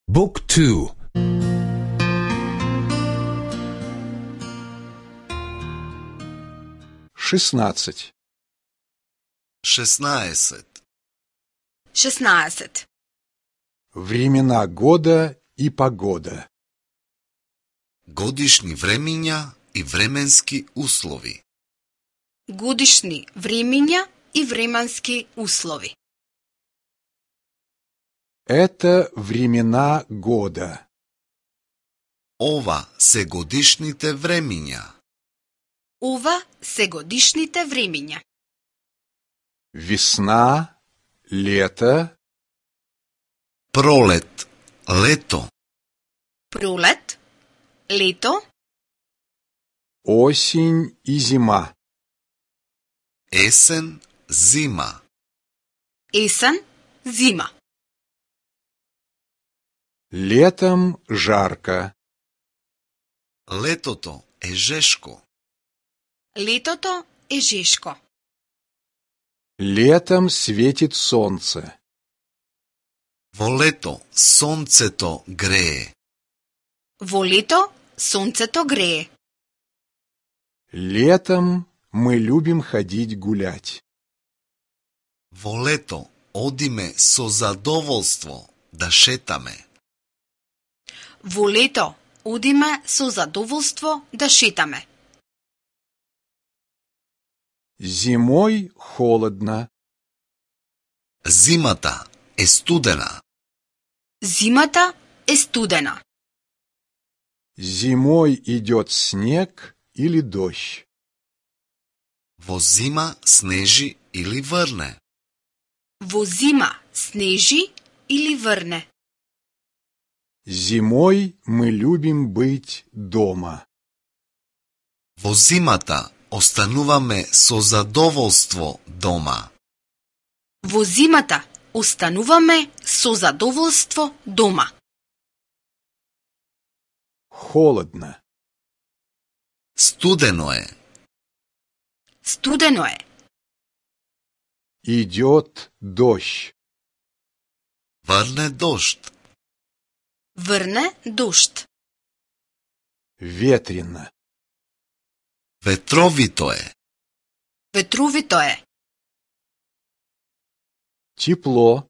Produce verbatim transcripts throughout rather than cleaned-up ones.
Book two. шестнадцать. шестнаесет. шестнаесет. Времена года и погода. Годишни времиња и временски услови. Годишни времиња и временски услови. Это времена года. Ова се годишните времиња. Ова се годишните времиња. Весна, лето, Пролет, лето, Пролет, лето, осень и зима. есен, зима. есен, зима. Летом жарко. Летото е жешко. Летото е жешко. Летом светит солнце. Во лето сонцето грее. Во лето сонцето грее. Летом мы любим ходить гулять. Во лето одиме со задоволство да шетаме. Во лето одиме со задоволство да шетаме. Зимой холодно. Зимата е студена. Зимата е студена. Зимой идет снег или дождь. Во зима снежи или врне. Во зима снежи или врне. Зимой мы любим быть дома. Во зимата остануваме со задоволство дома. Во зимата остануваме со задоволство дома. Холодно. Студено е. Студено е. Идет дождь. Врне дожд. Врне дожд. Ветрено. Ветровито е. Ветровито е. Тепло.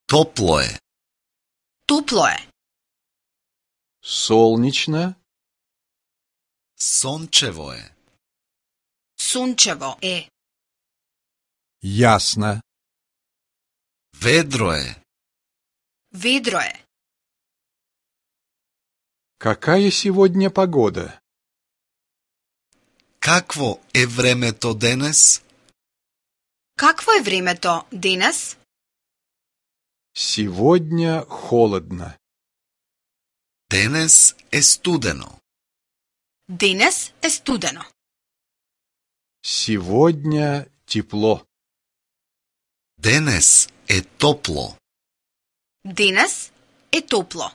Топло е. Топло е. Солнечно. Сончево е. Сончево е. Ясно. Ведро е. Ведро е. Какая сегодня погода? Какво е времето денес? Какво е времето денес? Сегодня холодно. Денес е студено. Денес е студено. Сегодня тепло. Денес е топло. Денес е топло.